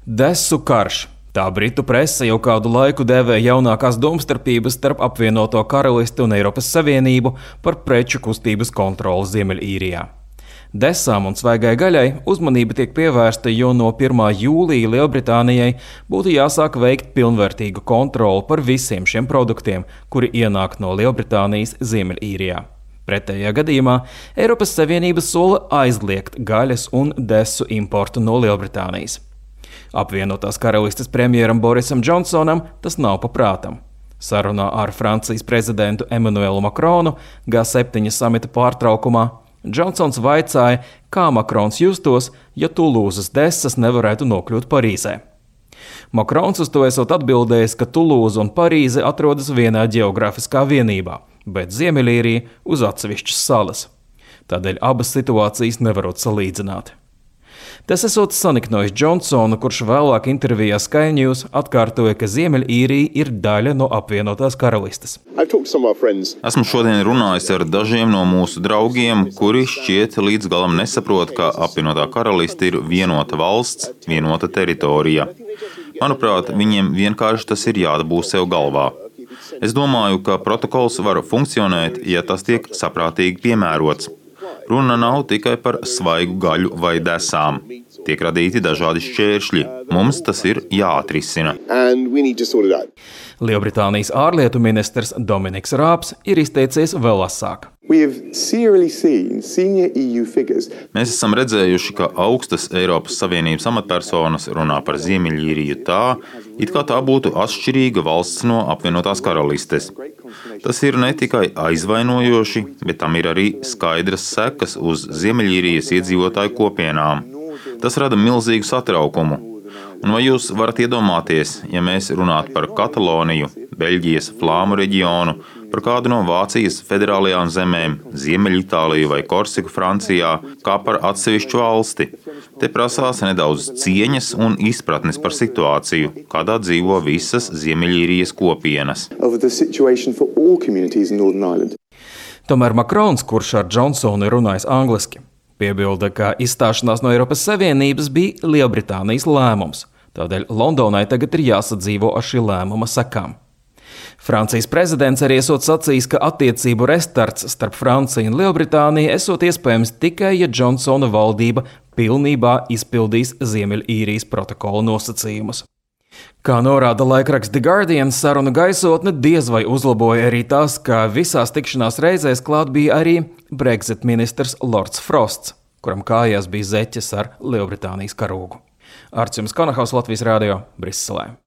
Desu karš. Tā britu prese jau kādu laiku dēvē jaunākās domstarpības starp apvienoto karalisti un Eiropas Savienību par preču kustības kontroli Ziemeļīrijā. Desām un svaigai gaļai uzmanība tiek pievērsta, jo no 1. jūlija Lielbritānijai būtu jāsāk veikt pilnvērtīgu kontroli par visiem šiem produktiem, kuri ienāk no Lielbritānijas Ziemeļīrijā. Pretējā gadījumā Eiropas Savienība sola aizliegt gaļas un desu importu no Lielbritānijas. Apvienotās karalistes premjeram Borisam Džonsonam tas nav paprātam. Sarunā ar Francijas prezidentu Emmanuelu Macronu G7 samita pārtraukumā Džonsons vaicāja, kā Macrons justos, ja Tulūzas desas nevarētu nokļūt Parīzē. Macrons uz to esot atbildējis, ka Tulūza un Parīze atrodas vienā ģeogrāfiskā vienībā, bet Ziemeļīrija uz atsevišķas salas. Tādēļ abas situācijas nevarot salīdzināt. Tas esot saniknojis Džonsonu, kurš vēlāk intervijā Sky News atkārtoja, ka Ziemeļīrija ir daļa no apvienotās karalistes. Esmu šodien runājis ar dažiem no mūsu draugiem, kuri šķiet līdz galam nesaprot, ka apvienotā karaliste ir vienota valsts, vienota teritorija. Manuprāt, viņiem vienkārši tas ir jādabū sev galvā. Es domāju, ka protokols var funkcionēt, ja tas tiek saprātīgi piemērots. Runa nav tikai par svaigu gaļu vai desām. Tiek radīti dažādi šķēršļi. Mums tas ir jāatrisina. Lielbritānijas ārlietu ministrs Dominiks Rābs ir izteicies vēl asāk. Mēs esam redzējuši, ka augstas Eiropas Savienības amatpersonas runā par Ziemeļīriju tā, it kā tā būtu atšķirīga valsts no apvienotās karalistes. Tas ir ne tikai aizvainojoši, bet tam ir arī skaidras sekas uz Ziemeļīrijas iedzīvotāju kopienām. Tas rada milzīgu satraukumu. Un vai jūs varat iedomāties, ja mēs runātu par Kataloniju, Beļģijas Flāmu reģionu, par kādu no Vācijas federālajām zemēm, Ziemeļitāliju vai Korsiku Francijā, kā par atsevišķu valsti? Te prasās nedaudz cieņas un izpratnes par situāciju, kādā dzīvo visas Ziemeļīrijas kopienas. Tomēr Macrons, kurš ar Džonsonu ir runājis angliski, piebilda, ka izstāšanās no Eiropas Savienības bija Lielbritānijas lēmums, tādēļ Londonai tagad ir jāsadzīvo ar šī lēmuma sekām. Francijas prezidents arī esot sacījis, ka attiecību restarts starp Franciju un Lielbritāniju esot iespējams tikai, ja Džonsona valdība pilnībā izpildīs Ziemeļīrijas protokola nosacījumus. Kā norāda laikraksts The Guardian, sarunu gaisotne diez vai uzlaboja arī tas, ka visās tikšanās reizēs klāt bija arī Brexit ministrs Lords Frosts, kuram kājās bija zeķes ar Lielbritānijas karogu. Arts Jums Konahaus, Latvijas Rādio, Briselē.